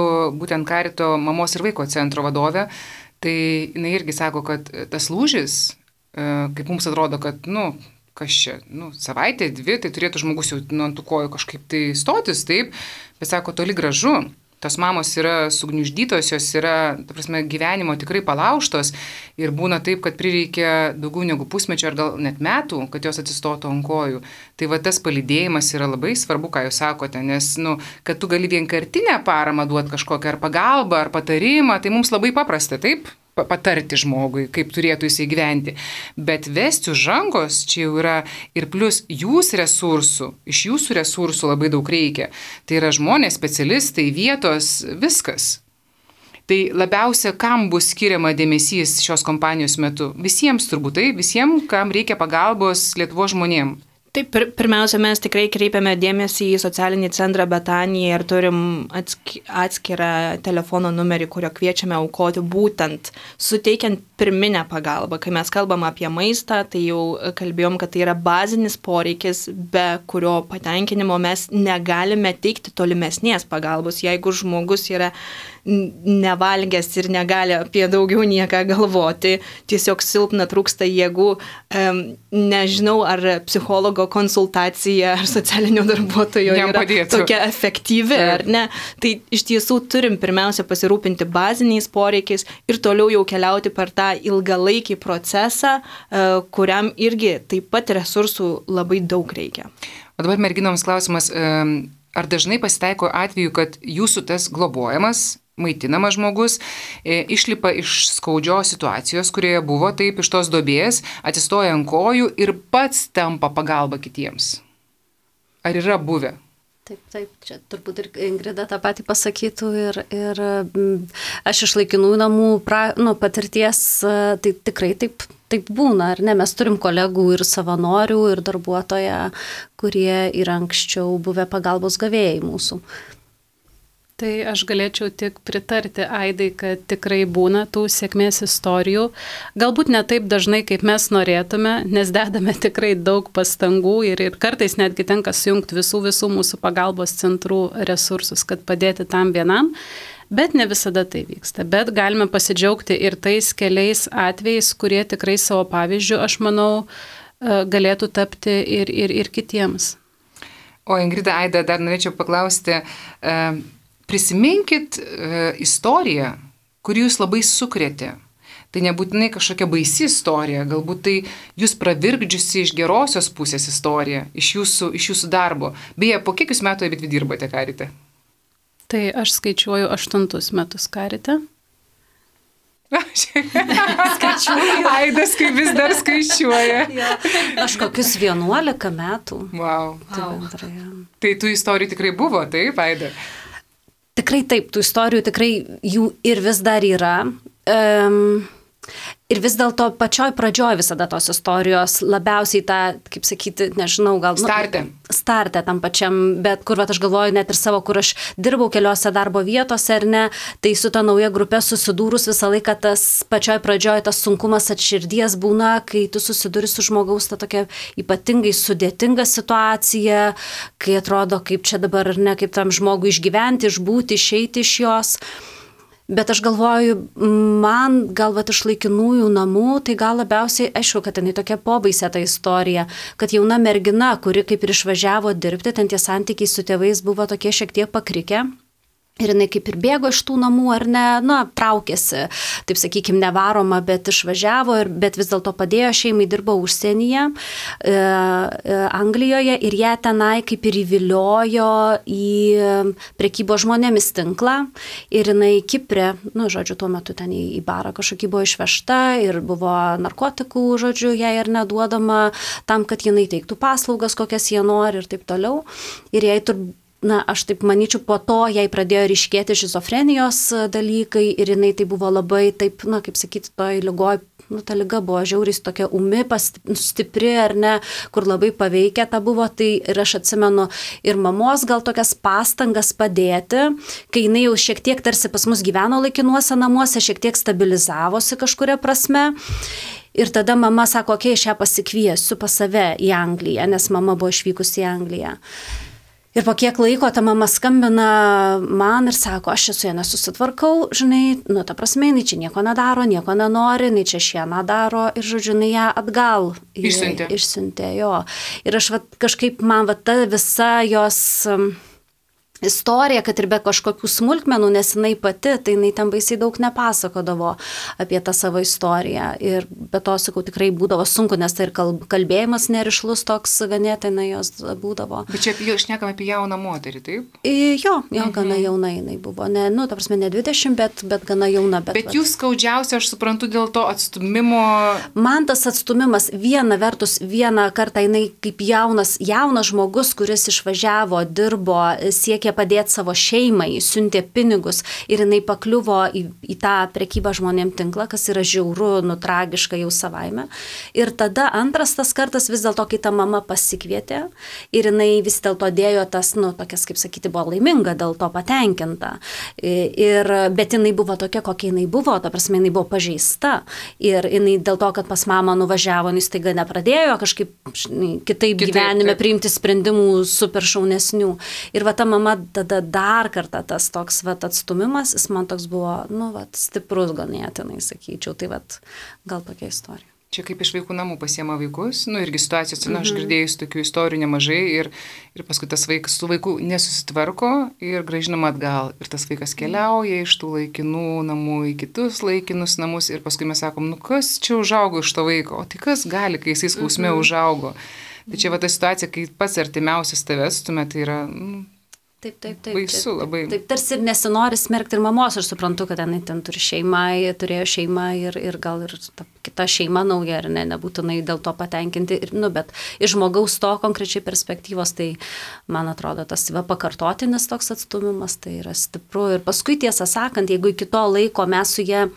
A: būtent Carito mamos ir vaiko centro vadove, tai jinai irgi sako, kad tas lūžis, kaip mums atrodo, kad, kas čia, savaitė, 2, tai turėtų žmogus jau ant tų kojų kažkaip tai stotis, taip, bet sako, toli gražu. Tos mamos yra sugniuždytos, jos yra, ta prasme, gyvenimo tikrai palaužtos ir būna taip, kad prireikia daugiau negu pusmečio ar gal net metų, kad jos atsistotų ant kojų. Tai va tas palydėjimas yra labai svarbu, ką jūs sakote, nes, kad tu gali vienkartinę paramą duoti kažkokią ar pagalbą, ar patarimą, tai mums labai paprasta, taip? Patarti žmogui, kaip turėtų jisai gyventi. Bet vesti už rankos čia jau yra ir plus iš jūsų resursų labai daug reikia. Tai yra žmonės, specialistai, vietos, viskas. Tai labiausia, kam bus skiriama dėmesys šios kompanijos metu? Visiems turbūt, visiems, kam reikia pagalbos Lietuvos žmonėms.
B: Taip, pirmiausia, mes tikrai kreipiame dėmesį į socialinį centrą Betanija ir turim atskirą telefono numerį, kurio kviečiame aukoti būtent suteikiant pirminę pagalbą. Kai mes kalbam apie maistą, tai jau kalbėjom, kad tai yra bazinis poreikis, be kurio patenkinimo mes negalime teikti tolimesnės pagalbos. Jeigu žmogus yra nevalgęs ir negali apie daugiau nieką galvoti, tiesiog silpna, trūksta jėgų, nežinau, ar psichologo konsultacija ar socialinio darbuotojo yra tokia efektyvi, ar ne. Tai iš tiesų turim pirmiausia pasirūpinti baziniais poreikiais ir toliau jau keliauti per tą ilgalaikį procesą, kuriam irgi taip pat resursų labai daug reikia.
A: O dabar merginoms klausimas, ar dažnai pasitaiko atveju, kad jūsų tas globojamas, maitinamas žmogus išlipa iš skaudžios situacijos, kurioje buvo, taip, iš tos duobės, atsistoja ant kojų ir pats tampa pagalba kitiems? Ar yra buvę?
C: Taip, čia turbūt ir Ingrida tą patį pasakytų ir aš iš laikinųjų namų patirties, tai tikrai taip būna, ar ne? Mes turim kolegų ir savanorių, ir darbuotoją, kurie yra anksčiau buvę pagalbos gavėjai mūsų.
D: Tai aš galėčiau tik pritarti Aidai, kad tikrai būna tų sėkmės istorijų. Galbūt ne taip dažnai, kaip mes norėtume, nes dedame tikrai daug pastangų ir kartais netgi tenka sujungti visų mūsų pagalbos centrų resursus, kad padėti tam vienam. Bet ne visada tai vyksta. Bet galime pasidžiaugti ir tais keliais atvejais, kurie tikrai savo pavyzdžių, aš manau, galėtų tapti ir kitiems.
A: O Ingrida, Aida, dar norėčiau paklausti, prisiminkit istoriją, kuri jūs labai sukrėtė. Tai nebūtinai kažkokia baisi istorija, galbūt tai jūs pravirkdžiusi iš gerosios pusės istorija, iš jūsų darbo. Beje, po kiek jūs metų abidvi dirbate Karite?
D: Tai aš skaičiuoju 8 metus Karite.
C: Skaičiuoju.
A: Aidas kaip vis dar skaičiuoja.
C: Ja. Aš kokius 11 metų.
A: Wow. Tai tų istorijų tikrai buvo, taip, Aida?
C: Tikrai taip, tų istorijų tikrai jų ir vis dar yra. Ir vis dėlto pačioj pradžioj visada tos istorijos labiausiai tą, kaip sakyti, nežinau, gal... Starte tam pačiam, bet kur aš galvoju net ir savo, kur aš dirbau keliose darbo vietose ar ne, tai su ta nauja grupė susidūrus visą laiką tas pačioj pradžioj tas sunkumas atširdies būna, kai tu susiduri su žmogaus ta tokia ypatingai sudėtinga situacija, kai atrodo, kaip čia dabar ar ne, kaip tam žmogui išgyventi, išbūti, išeiti iš jos. Bet aš galvoju, man gal iš laikinųjų namų, tai gal labiausiai, aišku, kad ten tokia pobaisė ta istorija, kad jauna mergina, kuri kaip ir išvažiavo dirbti, ten tie santykiai su tėvais buvo tokie šiek tiek pakrikę. Ir jinai kaip ir bėgo iš tų namų, ar ne, traukėsi, taip sakykime, nevaroma, bet išvažiavo, bet vis dėlto padėjo šeimai, dirbo užsienyje, Anglijoje ir ją tenai kaip ir įviliojo į prekybos žmonėmis tinklą ir jinai Kiprė, tuo metu ten į barą kažkokį buvo išvežta ir buvo narkotikų, jai ir neduodama tam, kad jinai teiktų paslaugas, kokias jie nori ir taip toliau. Ir jai aš taip manyčiau, po to jai pradėjo ryškėti šizofrenijos dalykai ir jinai tai buvo labai taip, kaip sakyti, toj ligoj, ta liga buvo žiauriai tokia umi, stipri ar ne, kur labai paveikia ta buvo, tai ir aš atsimenu ir mamos gal tokias pastangas padėti, kai jinai jau šiek tiek tarsi pas mus gyveno laikinuose namuose, šiek tiek stabilizavosi kažkuria prasme. Ir tada mama sako, aš ją pasikviesiu pas save į Angliją, nes mama buvo išvykusi į Angliją. Ir po kiek laiko ta mama skambina man ir sako, aš su ja nesusitvarkau, ta prasme, jinai čia nieko nedaro, nieko nenori, jinai čia šieną daro ir, jinai ją atgal išsiuntė, jo. Ir aš kažkaip man ta visa jos istorija, kad ir be kažkokių smulkmenų, nes jinai pati, tai jinai ten baisiai daug nepasakodavo apie tą savo istoriją. Ir be to, sakau, tikrai būdavo sunku, nes tai ir kalbėjimas nerišlus toks ganėtinai jos būdavo.
A: Bet čia jau šnekam apie jauną moterį, taip?
C: Jo, gana jauna jinai buvo. Ne 20, bet gana jauna.
A: Bet jūs skaudžiausia, aš suprantu, dėl to atstumimo...
C: Man tas atstumimas vieną kartą jinai kaip jaunas žmogus, kuris išvažiavo, dirbo, siekė padėti savo šeimai, siuntė pinigus ir jinai pakliuvo į tą prekybą žmonėm tinklą, kas yra žiauru, tragiška jau savaime. Ir tada antras tas kartas vis dėlto, kai ta mama pasikvietė ir jinai vis dėlto dėjo tas, tokias, kaip sakyti, buvo laiminga, dėl to patenkinta. Bet jinai buvo tokia, kokia jinai buvo, ta prasme, jinai buvo pažeista. Ir jinai dėl to, kad pas mamą nuvažiavo, jis taiga nepradėjo kažkaip kitaip gyvenime priimti sprendimų super šaunesnių. Ir ta mama tada dar kartą tas toks atstumimas, jis man toks buvo, stiprus ganėtinai, sakyčiau, tai gal tokia istorija.
A: Čia kaip iš vaikų namų pasiema vaikus, irgi situacijos, aš girdėjus tokių istorijų nemažai ir paskui tas vaikas su vaiku nesusitvarko ir grąžinama atgal. Ir tas vaikas keliauja iš tų laikinų namų į kitus laikinus namus ir paskui mes sakom, kas čia užaugo iš to vaiko, o tai kas gali, kai jisai skausme užaugo. Tai čia ta situacija, kai pats artimiausias tavęs, tuomet tai yra...
C: Taip.
A: Baisu labai.
C: Taip, tarsi ir nesinori smerkti ir mamos, aš suprantu, kad ten turėjo šeimą ir gal ir ta kita šeima nauja, ar ne, nebūtinai dėl to patenkinti, bet iš žmogaus to konkrečiai perspektyvos, tai man atrodo, tas pakartotinis toks atstumimas, tai yra stipru. Ir paskui, tiesą sakant, jeigu iki to laiko mes su jie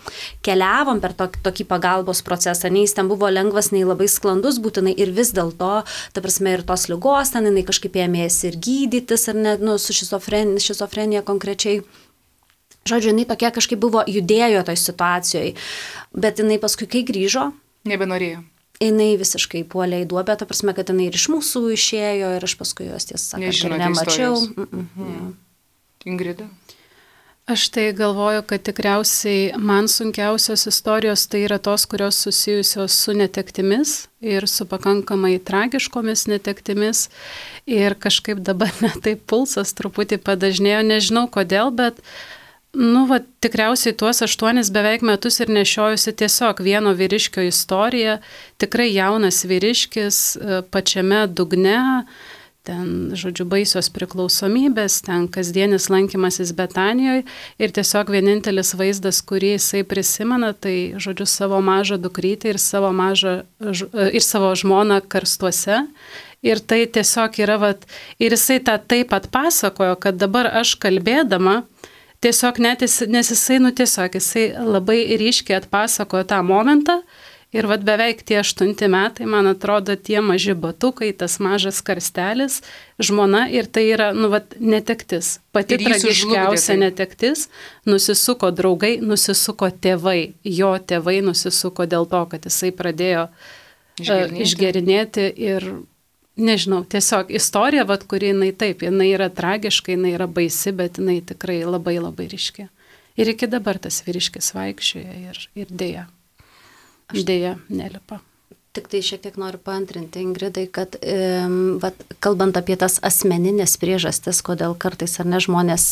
C: keliavom per tokį pagalbos procesą, nei jis ten buvo lengvas, nei labai sklandus būtinai ir vis dėlto, ta prasme, ir tos ligos ten jinai kažkaip ėmėsi ir gydytis, ar ne, su šizofrenija konkrečiai. Žodžiu, jinai tokia kažkaip buvo judėjo toj situacijoje, bet jinai paskui, kai grįžo,
A: nebenorėjo.
C: Jinai visiškai puolė į duobę, ta prasme, kad jinai ir iš mūsų išėjo ir aš paskui jos tiesą sakant, nemačiau.
A: Ingrida?
D: Aš tai galvoju, kad tikriausiai man sunkiausios istorijos tai yra tos, kurios susijusios su netektimis ir su pakankamai tragiškomis netektimis. Ir kažkaip dabar taip pulsas truputį padažnėjo, nežinau kodėl, bet tikriausiai tuos 8 beveik metus ir nešiojusi tiesiog vieno vyriškio istoriją, tikrai jaunas vyriškis pačiame dugne, ten, žodžiu, baisios priklausomybės, ten kasdienis lankymasis Betanijoje ir tiesiog vienintelis vaizdas, kurį jisai prisimena, tai, žodžiu, savo mažą dukrytę ir savo žmoną karstuose. Ir tai tiesiog yra, ir jisai tą taip atpasakojo, kad dabar aš kalbėdama, tiesiog nes jisai labai ryškiai atpasakojo tą momentą. Ir beveik tie 8 metai, man atrodo, tie maži batukai, tas mažas karstelis, žmona ir tai yra, netektis. Pati tragiškiausia netektis, nusisuko draugai, nusisuko tėvai. Jo tėvai nusisuko dėl to, kad jisai pradėjo išgerinėti ir, nežinau, tiesiog istorija, kuri jinai yra tragiška, jinai yra baisi, bet jinai tikrai labai labai ryški. Ir iki dabar tas vyriškis vaikščioja ir dėja. Dėja, nelipa.
C: Tik tai šiek tiek noriu paantrinti, Ingridai, kad kalbant apie tas asmeninės priežastis, kodėl kartais ar ne žmonės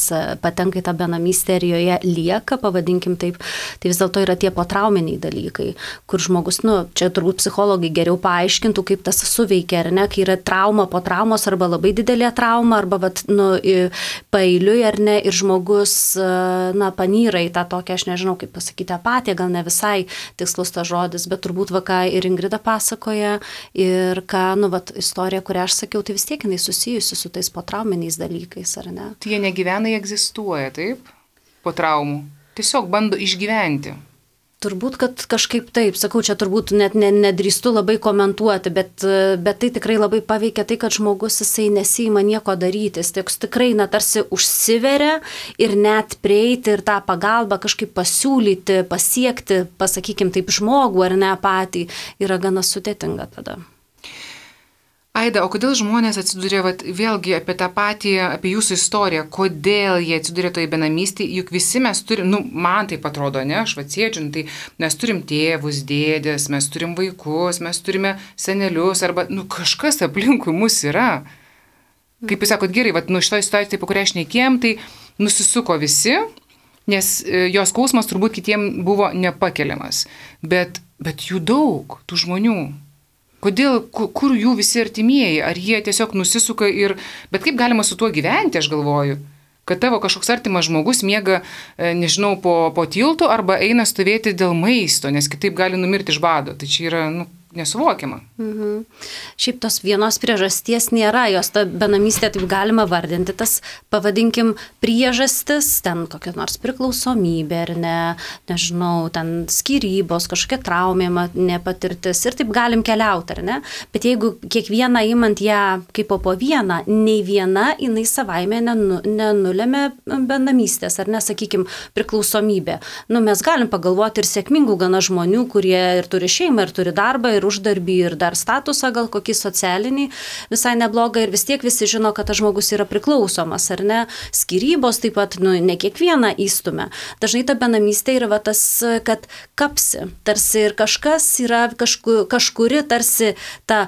C: patenka į tą benamystę ir joje lieka, pavadinkim taip, tai vis dėlto yra tie potrauminiai dalykai, kur žmogus, čia turbūt psichologai geriau paaiškintų, kaip tas suveikia, ar ne, kai yra trauma po traumos arba labai didelė trauma, arba paeiliui, ar ne, ir žmogus, panyra į tą tokią, aš nežinau, kaip pasakyti, apatiją, gal ne visai tikslus tas žodis, bet turbūt ką ir Ingrida pasakoja ir istorija, kurią aš sakiau, tai vis tiek jinai susijusi su tais potrauminiais dalykais, ar ne?
A: Tai jie negyvena, jie egzistuoja, taip? Po traumų. Tiesiog bando išgyventi.
C: Turbūt, kad kažkaip taip, sakau, čia turbūt net nedrįstu labai komentuoti, bet tai tikrai labai paveikia tai, kad žmogus jisai nesiima nieko daryti, jis tikrai tarsi užsiveria ir net prieiti ir tą pagalbą kažkaip pasiūlyti, pasiekti, pasakykim taip, žmogų ar ne patį, yra gana sudėtinga tada.
A: Aida, o kodėl žmonės atsiduria, vėlgi apie tą patį, apie jūsų istoriją, kodėl jie atsiduria toje benamystėje, juk visi mes turim, man taip atrodo, ne, aš sėdžiu, tai mes turim tėvus, dėdės, mes turim vaikus, mes turime senelius, arba, kažkas aplinkui mus yra. Kaip jūs sakot, gerai, šitoje situacijoje, apie kurią aš nekėjom, tai nusisuko visi, nes jos skausmas turbūt kitiem buvo nepakeliamas, bet jų daug, tų žmonių. Kodėl, kur jų visi artimieji, ar jie tiesiog nusisuka bet kaip galima su tuo gyventi, aš galvoju, kad tavo kažkoks artimas žmogus miega, nežinau, po tiltu arba eina stovėti dėl maisto, nes kitaip gali numirti iš bado, tai čia yra, nesuvokiama.
C: Šiaip tos vienos priežasties nėra, jos ta benamystė taip galima vardinti, tas pavadinkim priežastis, ten kokia nors priklausomybė ar ne, nežinau, ten skyrybos, kažkokia traumė nepatirtis ir taip galim keliauti, ar ne, bet jeigu kiekvieną imant ją kaip po vieną, nei viena jinai savaime nenulėmė benamystės, ar ne, sakykim, priklausomybė. Mes galim pagalvoti ir sėkmingų gana žmonių, kurie ir turi šeimą, ir turi darbą, ir uždarbį, ir dar statusą, gal kokį socialinį, visai neblogą, ir vis tiek visi žino, kad tas žmogus yra priklausomas, ar ne? Skyrybos taip pat, ne kiekvieną įstumia. Dažnai ta benamystė yra tas, kad kapsi, tarsi ir kažkas yra kažkuri, tarsi ta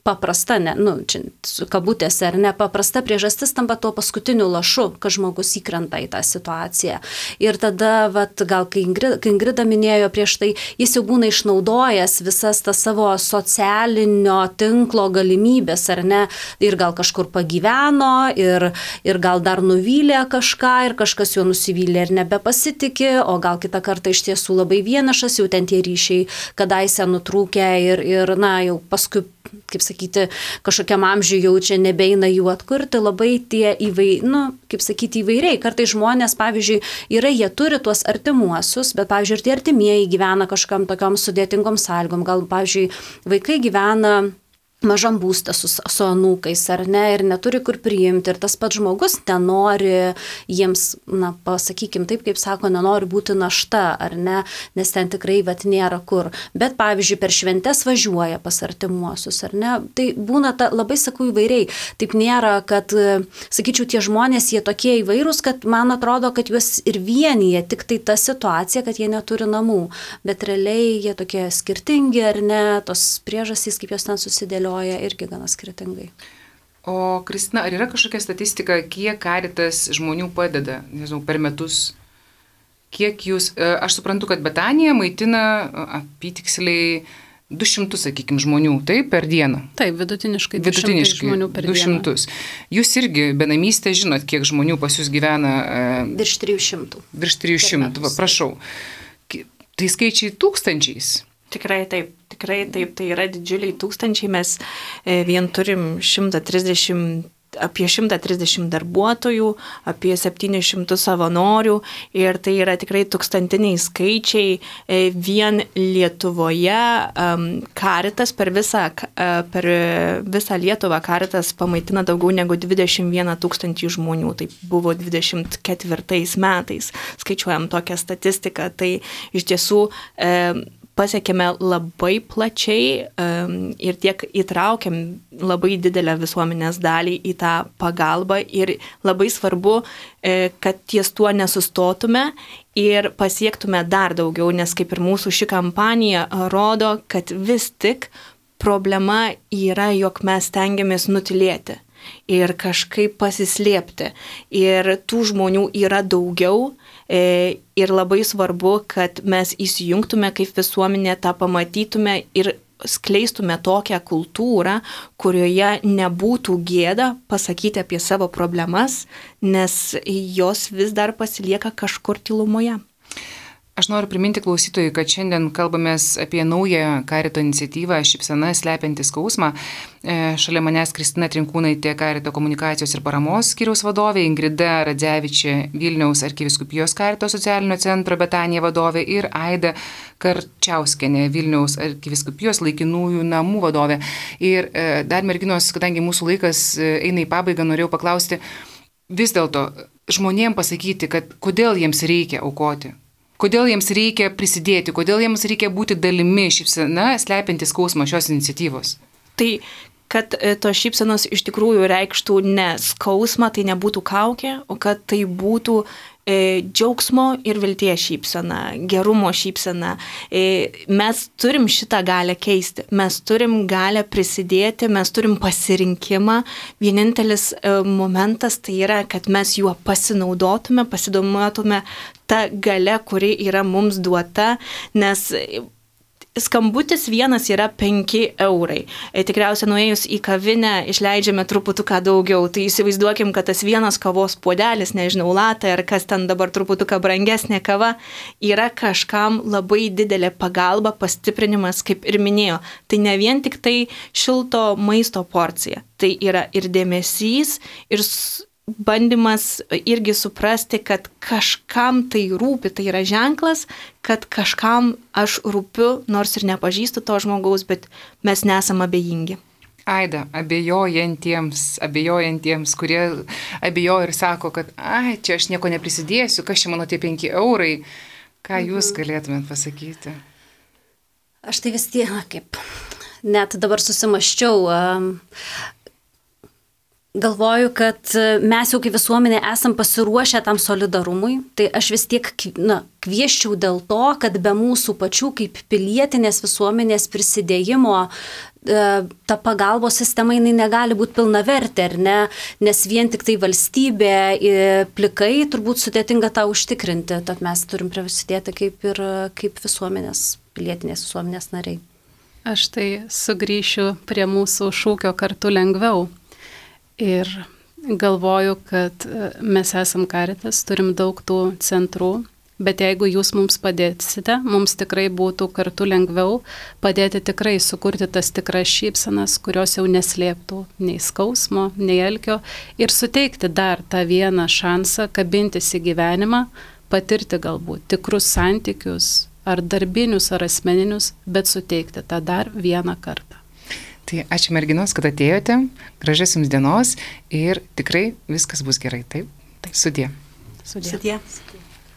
C: paprasta, čia su kabutėse ar ne, paprasta priežastis tampa tuo paskutiniu lašu, kad žmogus įkrenta į tą situaciją. Ir tada, gal kai Ingrida minėjo prieš tai, jis jau būna išnaudojęs visas tas savo socialinio tinklo galimybės, ar ne, ir gal kažkur pagyveno, ir gal dar nuvylė kažką, ir kažkas jo nusivylė ir nebepasitikė, o gal kitą kartą iš tiesų labai vienišas, jau ten tie ryšiai kadaise nutrūkę ir jau paskui, kaip sakyti, kažkokiam amžiui jau čia nebeina jų atkurti, labai tie įvairiai. Kartais žmonės, pavyzdžiui, jie turi tuos artimuosius, bet, pavyzdžiui, ir tie artimieji gyvena kažkam tokiom sudėtingom sąlygom. Gal, pavyzdžiui, vaikai gyvena mažam būste su anūkais, ar ne, ir neturi kur priimti, ir tas pats žmogus nenori jiems, pasakykim taip, kaip sako, nenori būti našta, ar ne, nes ten tikrai nėra kur. Bet, pavyzdžiui, per šventes važiuoja pas artimuosius, ar ne, tai būna labai sakau įvairiai. Taip nėra, kad, sakyčiau, tie žmonės, jie tokie įvairūs, kad man atrodo, kad juos ir vienyje tik tai ta situacija, kad jie neturi namų, bet realiai jie tokie skirtingi, ar ne, tos priežastys, kaip jos ten susidėlioja, irgi gana skirtingai.
A: O Kristina, ar yra kažkokia statistika, kiek Caritas žmonių padeda, nežinau, per metus? Kiek jūs, aš suprantu, kad Betanija maitina apytiksliai 200, sakykime, žmonių, taip, per dieną?
D: Taip, vidutiniškai 200 žmonių per
A: 200.
D: dieną.
A: Jūs irgi benamystė žinot, kiek žmonių pas jūs gyvena?
C: Virš 300.
A: Virš 300, prašau. Tai skaičiai tūkstančiais.
B: Tikrai taip, tai yra didžiuliai tūkstančiai, mes vien turim apie 130 darbuotojų, apie 700 savanorių ir tai yra tikrai tūkstantiniai skaičiai. Vien Lietuvoje Caritas per visą Lietuvą Caritas pamaitina daugiau negu 21 000 žmonių. Tai buvo 24 metais, skaičiuojam tokią statistiką. Tai iš tiesų pasiekėme labai plačiai ir tiek įtraukiam labai didelę visuomenės dalį į tą pagalbą ir labai svarbu, kad ties tuo nesustotume ir pasiektume dar daugiau, nes kaip ir mūsų ši kampanija rodo, kad vis tik problema yra, jog mes stengiamės nutilėti ir kažkaip pasislėpti. Ir tų žmonių yra daugiau. Ir labai svarbu, kad mes įsijungtume kaip visuomenė, tą pamatytume ir skleistume tokią kultūrą, kurioje nebūtų gėda pasakyti apie savo problemas, nes jos vis dar pasilieka kažkur tylumoje.
A: Aš noriu priminti klausytojui, kad šiandien kalbamės apie naują Carito iniciatyvą Šypsena slepianti skausmą. Šalia manęs Kristina Trinkūnaitė, Carito komunikacijos ir paramos skyriaus vadovė, Ingrida Radzevičė, Vilniaus arkivyskupijos Carito socialinio centro Betanija vadovė ir Aida Karčiauskienė, Vilniaus arkivyskupijos laikinųjų namų vadovė. Ir dar merginos, kadangi mūsų laikas eina į pabaigą, norėjau paklausti, vis dėlto žmonėms pasakyti, kad kodėl jiems reikia aukoti. Kodėl jiems reikia prisidėti, kodėl jiems reikia būti dalimi Šypsena slepianti skausmą šios iniciatyvos?
B: Tai, kad tos šypsenos iš tikrųjų reikštų ne skausmą, tai nebūtų kaukė, o kad tai būtų džiaugsmo ir vilties šypsena, gerumo šypsena. Mes turim šitą galę keisti, mes turim galę prisidėti, mes turim pasirinkimą. Vienintelis momentas tai yra, kad mes juo pasinaudotume tą galę, kuri yra mums duota, nes skambutis vienas yra 5 eurai. Tikriausiai nuėjus į kavinę išleidžiame truputuką daugiau. Tai įsivaizduokim, kad tas vienas kavos puodelis, nežinau, latte ar kas ten dabar truputuką brangesnė kava, yra kažkam labai didelė pagalba, pastiprinimas, kaip ir minėjo. Tai ne vien tik tai šilto maisto porcija. Tai yra ir dėmesys, ir bandymas irgi suprasti, kad kažkam tai rūpi, tai yra ženklas, kad kažkam aš rūpiu, nors ir nepažįstu to žmogaus, bet mes nesam abejingi.
A: Aida, abejojantiems, kurie abejoja ir sako, kad čia aš nieko neprisidėsiu, kas čia mano tie 5 eurai, ką jūs galėtumėt pasakyti?
C: Aš tai vis tiek, kaip net dabar susimaščiau, galvoju, kad mes jau kaip visuomenė esam pasiruošę tam solidarumui, tai aš vis tiek kvieščiau dėl to, kad be mūsų pačių kaip pilietinės visuomenės prisidėjimo ta pagalbos sistema jinai negali būti pilnavertė, ar ne, nes vien tik tai valstybė plikai turbūt sudėtinga tą užtikrinti, tad mes turim prisidėti kaip visuomenės, pilietinės visuomenės nariai.
D: Aš tai sugrįšiu prie mūsų šūkio kartu lengviau. Ir galvoju, kad mes esam Caritas, turim daug tų centrų, bet jeigu jūs mums padėsite, mums tikrai būtų kartu lengviau padėti tikrai sukurti tas tikras šypsenas, kurios jau neslėptų nei skausmo, nei alkio ir suteikti dar tą vieną šansą kabintis į gyvenimą, patirti galbūt tikrus santykius, ar darbinius, ar asmeninius, bet suteikti tą dar vieną kartą.
A: Tai ačiū merginos, kad atėjote, gražios jums dienos ir tikrai viskas bus gerai, taip? Sudie.
B: Sudie.